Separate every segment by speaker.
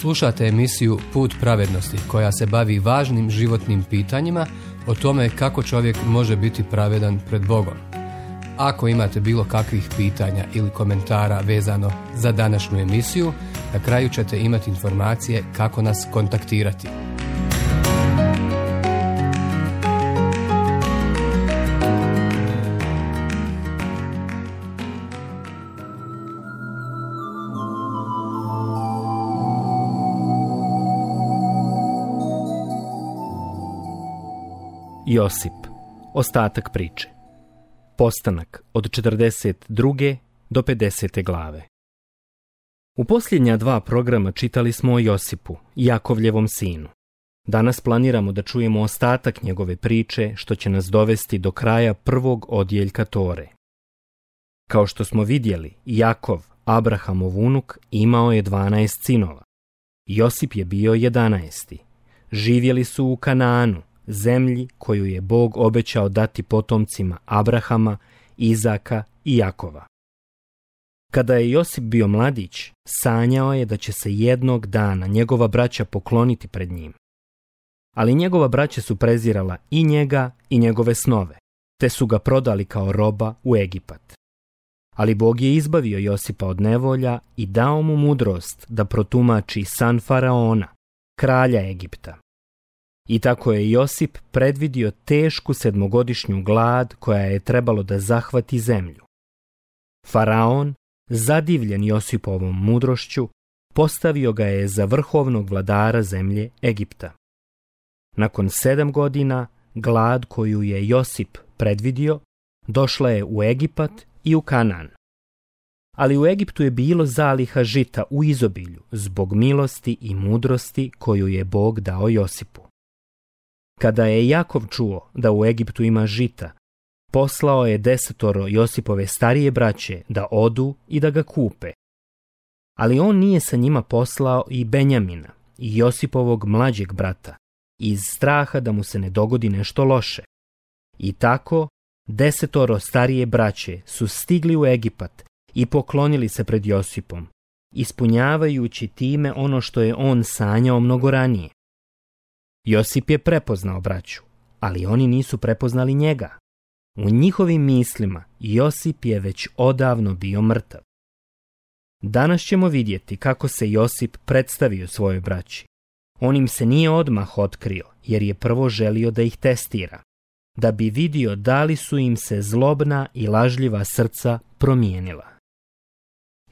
Speaker 1: Slušate emisiju Put pravednosti koja se bavi važnim životnim pitanjima o tome kako čovjek može biti pravedan pred Bogom. Ako imate bilo kakvih pitanja ili komentara vezano za današnju emisiju, na kraju ćete imati informacije kako nas kontaktirati.
Speaker 2: Josip. Ostatak priče. Postanak od 42. do 50. glave. U posljednja 2 programa čitali smo o Josipu, Jakovljevom sinu. Danas planiramo da čujemo ostatak njegove priče, što će nas dovesti do kraja 1. odjeljka Tore. Kao što smo vidjeli, Jakov, Abrahamov unuk, imao je 12 sinova. Josip je bio 11. Živjeli su u Kanaanu, zemlji koju je Bog obećao dati potomcima Abrahama, Izaka i Jakova. Kada je Josip bio mladić, sanjao je da će se jednog dana njegova braća pokloniti pred njim. Ali njegova braća su prezirala i njega i njegove snove, te su ga prodali kao roba u Egipat. Ali Bog je izbavio Josipa od nevolja i dao mu mudrost da protumači san faraona, kralja Egipta. I tako je Josip predvidio tešku 7-godišnju glad koja je trebalo da zahvati zemlju. Faraon, zadivljen Josipovom mudrošću, postavio ga je za vrhovnog vladara zemlje Egipta. Nakon 7 godina, glad koju je Josip predvidio, došla je u Egipat i u Kanaan. Ali u Egiptu je bilo zaliha žita u izobilju zbog milosti i mudrosti koju je Bog dao Josipu. Kada je Jakov čuo da u Egiptu ima žita, poslao je 10 Josipove starije braće da odu i da ga kupe. Ali on nije sa njima poslao i Benjamina, i Josipovog mlađeg brata, iz straha da mu se ne dogodi nešto loše. I tako 10 starije braće su stigli u Egipat i poklonili se pred Josipom, ispunjavajući time ono što je on sanjao mnogo ranije. Josip je prepoznao braću, ali oni nisu prepoznali njega. U njihovim mislima Josip je već odavno bio mrtav. Danas ćemo vidjeti kako se Josip predstavio svojoj braći. On im se nije odmah otkrio, jer je prvo želio da ih testira, da bi vidio da li su im se zlobna i lažljiva srca promijenila.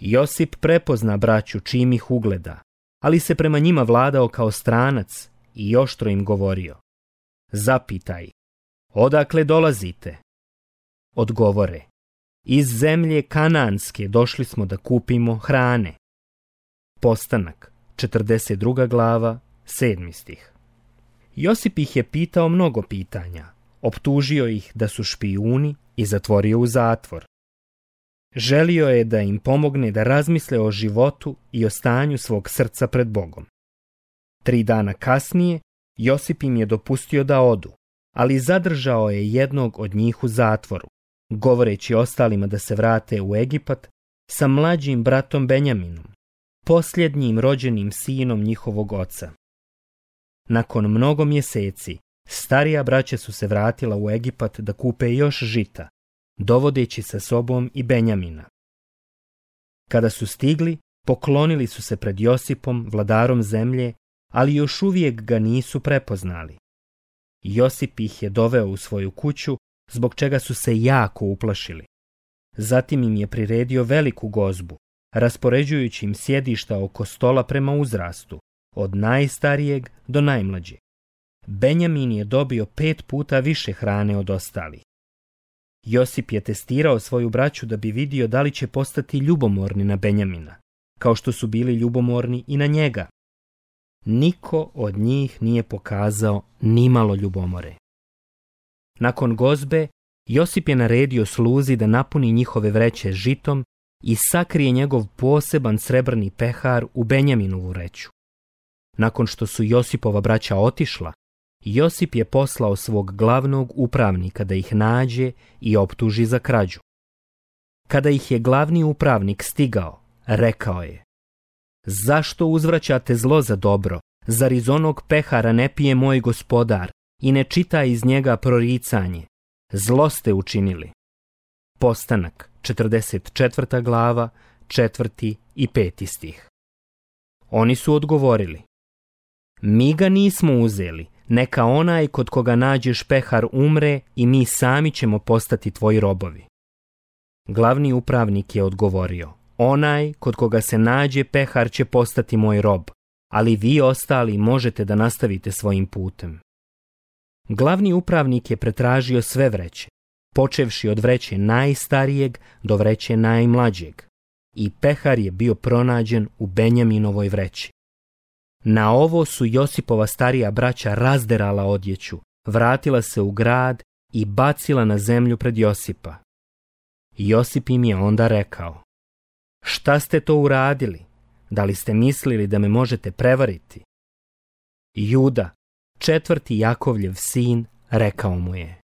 Speaker 2: Josip prepozna braću čim ih ugleda, ali se prema njima vladao kao stranac i oštro im govorio: zapitaj, odakle dolazite? Odgovore: iz zemlje Kanaanske došli smo da kupimo hrane. Postanak, 42. glava, 7. stih. Josip ih je pitao mnogo pitanja, optužio ih da su špijuni i zatvorio u zatvor. Želio je da im pomogne da razmisle o životu i o stanju svog srca pred Bogom. 3 dana kasnije Josip im je dopustio da odu, ali zadržao je jednog od njih u zatvoru, govoreći ostalima da se vrate u Egipat sa mlađim bratom Benjaminom, posljednjim rođenim sinom njihovog oca. Nakon mnogo mjeseci, starija braća su se vratila u Egipat da kupe još žita, dovodeći sa sobom i Benjamina. Kada su stigli, poklonili su se pred Josipom, vladarom zemlje, ali još uvijek ga nisu prepoznali. Josip ih je doveo u svoju kuću, zbog čega su se jako uplašili. Zatim im je priredio veliku gozbu, raspoređujući im sjedišta oko stola prema uzrastu, od najstarijeg do najmlađeg. Benjamin je dobio 5 puta više hrane od ostalih. Josip je testirao svoju braću da bi vidio da li će postati ljubomorni na Benjamina, kao što su bili ljubomorni i na njega. Niko od njih nije pokazao nimalo ljubomore. Nakon gozbe, Josip je naredio sluzi da napuni njihove vreće žitom i sakrije njegov poseban srebrni pehar u Benjaminovu vreću. Nakon što su Josipova braća otišla, Josip je poslao svog glavnog upravnika da ih nađe i optuži za krađu. Kada ih je glavni upravnik stigao, rekao je: Zašto uzvraćate zlo za dobro? Zar iz onog pehara ne pije moj gospodar i ne čita iz njega proricanje? Zlo ste učinili. Postanak, 44. glava, 4. i 5. stih. Oni su odgovorili: mi ga nismo uzeli, neka onaj kod koga nađeš pehar umre i mi sami ćemo postati tvoji robovi. Glavni upravnik je odgovorio: onaj kod koga se nađe pehar će postati moj rob, ali vi ostali možete da nastavite svojim putem. Glavni upravnik je pretražio sve vreće, počevši od vreće najstarijeg do vreće najmlađeg, i pehar je bio pronađen u Benjaminovoj vreći. Na ovo su Josipova starija braća razderala odjeću, vratila se u grad i bacila na zemlju pred Josipa. Josip im je onda rekao: šta ste to uradili? Da li ste mislili da me možete prevariti? Juda, 4. Jakovljev sin, rekao mu je: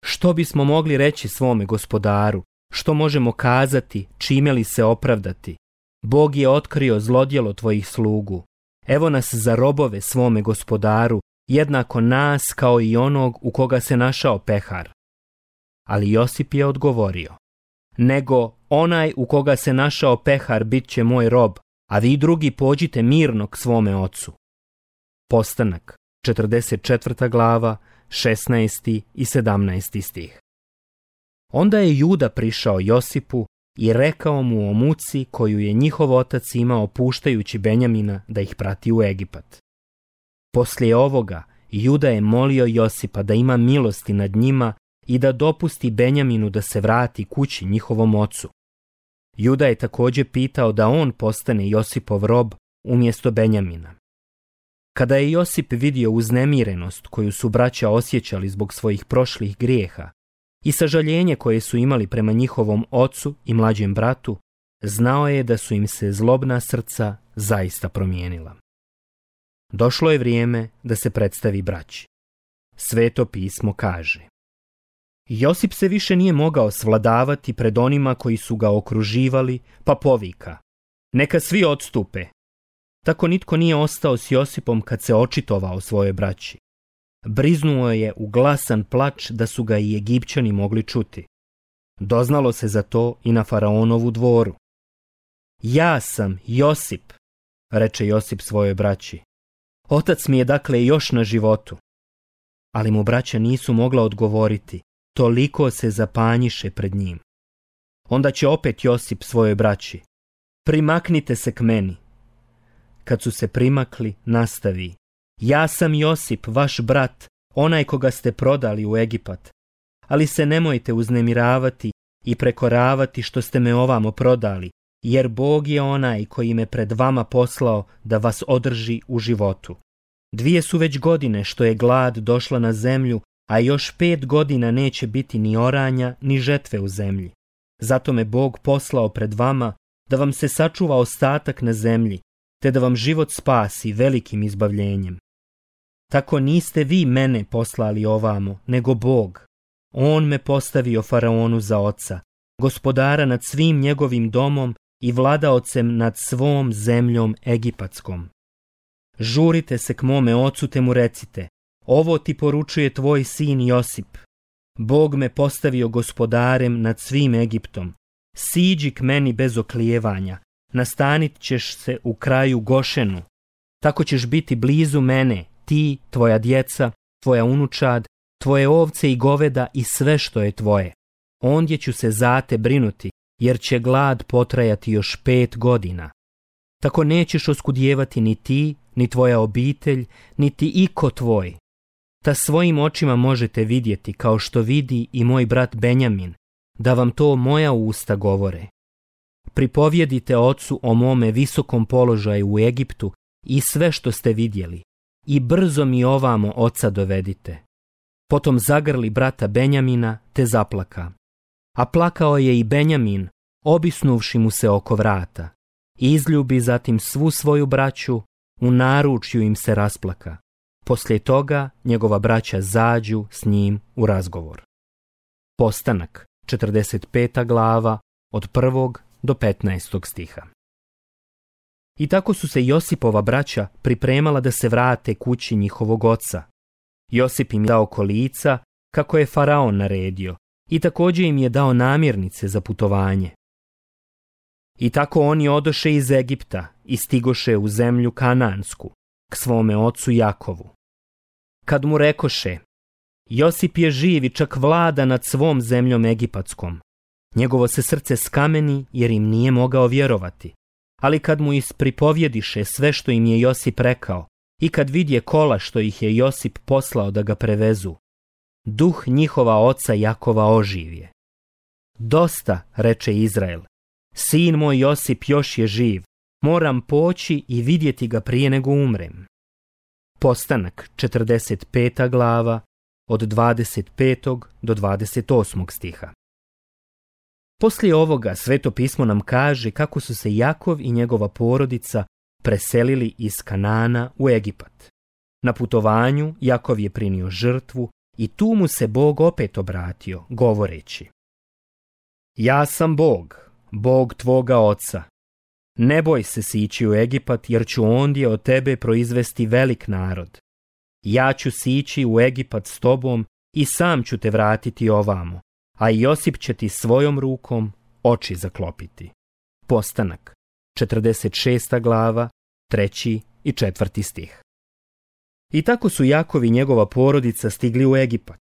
Speaker 2: što bismo mogli reći svome gospodaru? Što možemo kazati, čime li se opravdati? Bog je otkrio zlodjelo tvojih slugu. Evo nas za robove svome gospodaru, jednako nas kao i onog u koga se našao pehar. Ali Josip je odgovorio: nego onaj u koga se našao pehar bit će moj rob, a vi drugi pođite mirno k svome ocu. Postanak, 44. glava, 16. i 17. stih. Onda je Juda prišao Josipu i rekao mu o muci koju je njihov otac imao puštajući Benjamina da ih prati u Egipat. Poslije ovoga Juda je molio Josipa da ima milosti nad njima i da dopusti Benjaminu da se vrati kući njihovom ocu. Juda je također pitao da on postane Josipov rob umjesto Benjamina. Kada je Josip vidio uznemirenost koju su braća osjećali zbog svojih prošlih grijeha i sažaljenje koje su imali prema njihovom ocu i mlađem bratu, znao je da su im se zlobna srca zaista promijenila. Došlo je vrijeme da se predstavi braći. Sveto pismo kaže: Josip se više nije mogao svladavati pred onima koji su ga okruživali, pa povika: neka svi odstupe. Tako nitko nije ostao s Josipom kad se očitovao svojoj braći. Briznuo je u glasan plač da su ga i Egipćani mogli čuti. Doznalo se za to i na faraonovu dvoru. Ja sam Josip, reče Josip svojoj braći. Otac mi je dakle još na životu. Ali mu braća nisu mogla odgovoriti, toliko se zapanjiše pred njim. Onda će opet Josip svojoj braći: primaknite se k meni. Kad su se primakli, nastavi: ja sam Josip, vaš brat, onaj koga ste prodali u Egipat. Ali se nemojte uznemiravati i prekoravati što ste me ovamo prodali, jer Bog je onaj koji me pred vama poslao da vas održi u životu. 2 su već godine što je glad došla na zemlju, a još 5 godina neće biti ni oranja ni žetve u zemlji. Zato me Bog poslao pred vama da vam se sačuva ostatak na zemlji, te da vam život spasi velikim izbavljenjem. Tako niste vi mene poslali ovamo, nego Bog. On me postavio faraonu za oca, gospodara nad svim njegovim domom i vladaocem nad svom zemljom egipatskom. Žurite se k mome ocu te mu recite: ovo ti poručuje tvoj sin Josip. Bog me postavio gospodarem nad svim Egiptom. Siđi k meni bez oklijevanja, nastanit ćeš se u kraju Gošenu. Tako ćeš biti blizu mene, ti, tvoja djeca, tvoja unučad, tvoje ovce i goveda i sve što je tvoje. Ondje ću se za te brinuti, jer će glad potrajati još 5 godina. Tako nećeš oskudijevati ni ti, ni tvoja obitelj, niti iko tvoj. Ta svojim očima možete vidjeti, kao što vidi i moj brat Benjamin, da vam to moja usta govore. Pripovjedite ocu o mome visokom položaju u Egiptu i sve što ste vidjeli, i brzo mi ovamo oca dovedite. Potom zagrli brata Benjamina te zaplaka. A plakao je i Benjamin, obisnuvši mu se oko vrata. Izljubi zatim svu svoju braću, u naručju im se rasplaka. Poslije toga njegova braća zađu s njim u razgovor. Postanak, 45. glava, od 1. do 15. stiha. I tako su se Josipova braća pripremala da se vrate kući njihovog oca. Josip im je dao kolica, kako je faraon naredio, i također im je dao namirnice za putovanje. I tako oni odoše iz Egipta i stigoše u zemlju Kanansku, k svome ocu Jakovu. Kad mu rekoše, Josip je živ i čak vlada nad svom zemljom egipatskom, njegovo se srce skameni jer im nije mogao vjerovati. Ali kad mu ispripovjediše sve što im je Josip rekao i kad vidje kola što ih je Josip poslao da ga prevezu, duh njihova oca Jakova oživje. Dosta, reče Izrael, sin moj Josip još je živ, moram poći i vidjeti ga prije nego umrem. Postanak, 45. glava, od 25. do 28. stiha. Poslije ovoga Sveto pismo nam kaže kako su se Jakov i njegova porodica preselili iz Kanana u Egipat. Na putovanju Jakov je prinio žrtvu i tu mu se Bog opet obratio, govoreći: Ja sam Bog, Bog tvoga oca. Ne boj se sići u Egipat, jer ću ondje od tebe proizvesti velik narod. Ja ću sići u Egipat s tobom i sam ću te vratiti ovamo, a Josip će ti svojom rukom oči zaklopiti. Postanak, 46. glava, 3. i 4. stih. I tako su Jakov i njegova porodica stigli u Egipat.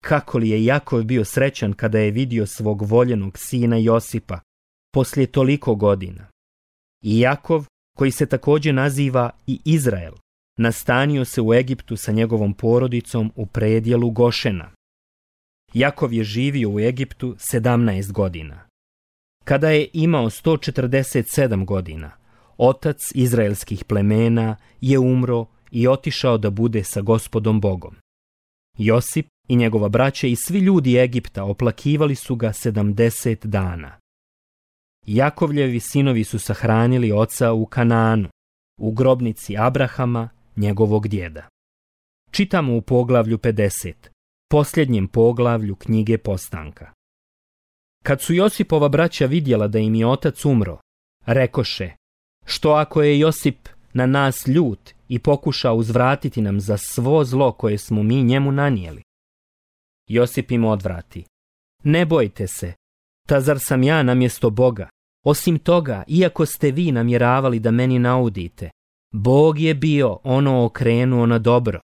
Speaker 2: Kako li je Jakov bio srećan kada je vidio svog voljenog sina Josipa poslije toliko godina. I Jakov, koji se također naziva i Izrael, nastanio se u Egiptu sa njegovom porodicom u predjelu Gošena. Jakov je živio u Egiptu 17 godina. Kada je imao 147 godina, otac izraelskih plemena je umro i otišao da bude sa Gospodom Bogom. Josip i njegova braća i svi ljudi Egipta oplakivali su ga 70 dana. Jakovljevi sinovi su sahranili oca u Kanaanu, u grobnici Abrahama, njegovog djeda. Čitamo u poglavlju 50, posljednjem poglavlju knjige Postanka. Kad su Josipova braća vidjela da im je otac umro, rekoše: Što ako je Josip na nas ljut i pokuša uzvratiti nam za svo zlo koje smo mi njemu nanijeli? Josip im odvrati: Ne bojte se, ta zar sam ja namjesto Boga? Osim toga, iako ste vi namjeravali da meni naudite, Bog je bio ono okrenuo na dobro,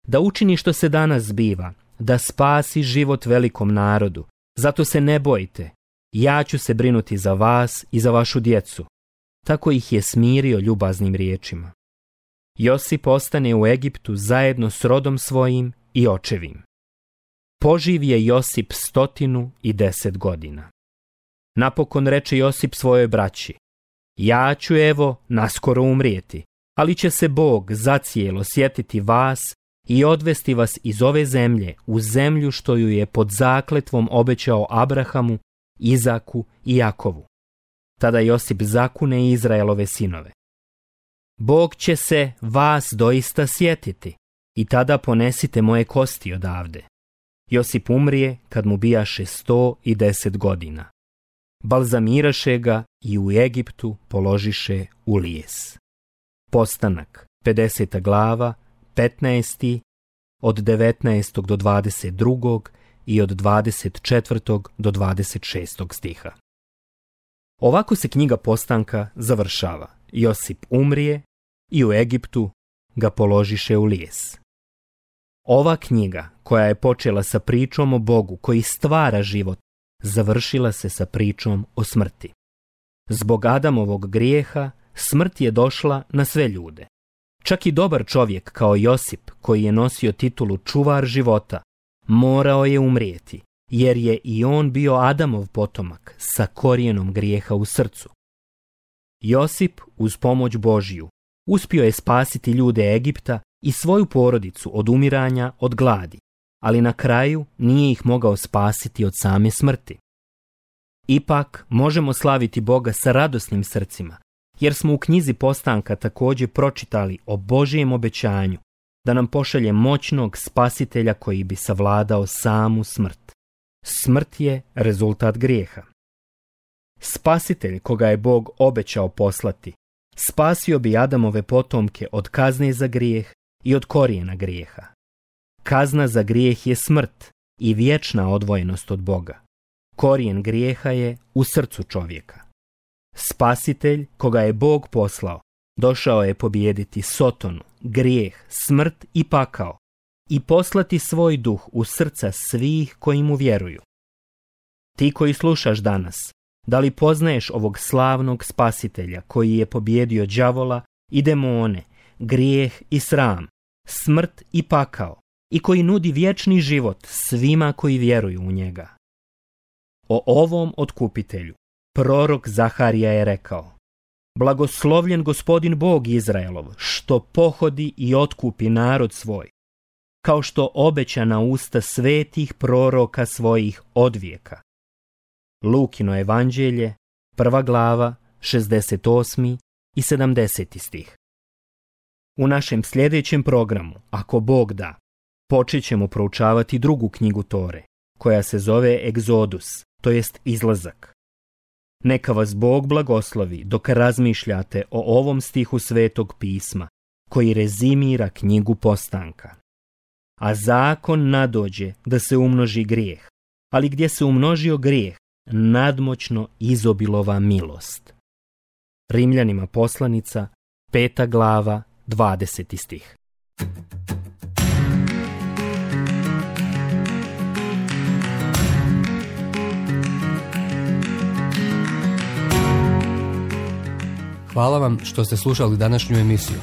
Speaker 2: da učini što se danas zbiva, da spasi život velikom narodu. Zato se ne bojte, ja ću se brinuti za vas i za vašu djecu. Tako ih je smirio ljubaznim riječima. Josip ostane u Egiptu zajedno s rodom svojim i očevim. Poživ je Josip 110 godina. Napokon reče Josip svojoj braći: Ja ću evo naskoro umrijeti, ali će se Bog zacijelo sjetiti vas i odvesti vas iz ove zemlje u zemlju što ju je pod zakletvom obećao Abrahamu, Izaku i Jakovu. Tada Josip zakune Izraelove sinove: Bog će se vas doista sjetiti i tada ponesite moje kosti odavde. Josip umrije kad mu bijaše 110 godina. Balzamiraše ga i u Egiptu položiše u lijes. Postanak, 50. glava, 15. od 19. do 22. i od 24. do 26. stiha. Ovako se knjiga Postanka završava. Josip umrije i u Egiptu ga položiše u lijes. Ova knjiga, koja je počela sa pričom o Bogu koji stvara život, završila se sa pričom o smrti. Zbog Adamovog grijeha smrt je došla na sve ljude. Čak i dobar čovjek kao Josip, koji je nosio titulu čuvar života, morao je umrijeti, jer je i on bio Adamov potomak sa korijenom grijeha u srcu. Josip, uz pomoć Božju, uspio je spasiti ljude Egipta i svoju porodicu od umiranja od gladi, ali na kraju nije ih mogao spasiti od same smrti. Ipak možemo slaviti Boga sa radosnim srcima, jer smo u knjizi Postanka također pročitali o Božijem obećanju da nam pošalje moćnog spasitelja koji bi savladao samu smrt. Smrt je rezultat grijeha. Spasitelj koga je Bog obećao poslati spasio bi Adamove potomke od kazne za grijeh i od korijena grijeha. Kazna za grijeh je smrt i vječna odvojenost od Boga. Korijen grijeha je u srcu čovjeka. Spasitelj, koga je Bog poslao, došao je pobijediti Sotonu, grijeh, smrt i pakao i poslati svoj duh u srca svih koji mu vjeruju. Ti koji slušaš danas, da li poznaješ ovog slavnog spasitelja koji je pobijedio đavola i demone, grijeh i sram, smrt i pakao i koji nudi vječni život svima koji vjeruju u njega? O ovom otkupitelju prorok Zaharija je rekao: Blagoslovljen Gospodin Bog Izraelov, što pohodi i otkupi narod svoj, kao što obeća na usta svetih proroka svojih odvijeka. Lukino evanđelje, 1. glava, 68. i 70. stih. U našem sljedećem programu, ako Bog da, počet ćemo proučavati drugu knjigu Tore, koja se zove Egzodus, to jest Izlazak. Neka vas Bog blagoslovi dok razmišljate o ovom stihu Svetog pisma, koji rezimira knjigu Postanka. A zakon nadođe da se umnoži grijeh, ali gdje se umnožio grijeh, nadmoćno izobilova milost. Rimljanima poslanica, 5. glava, 20. stih.
Speaker 1: Hvala vam što ste slušali današnju emisiju.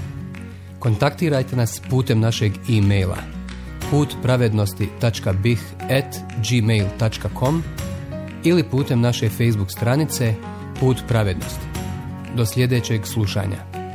Speaker 1: Kontaktirajte nas putem našeg e-maila putpravednosti.bih@gmail.com ili putem naše Facebook stranice Put pravednosti. Do sljedećeg slušanja.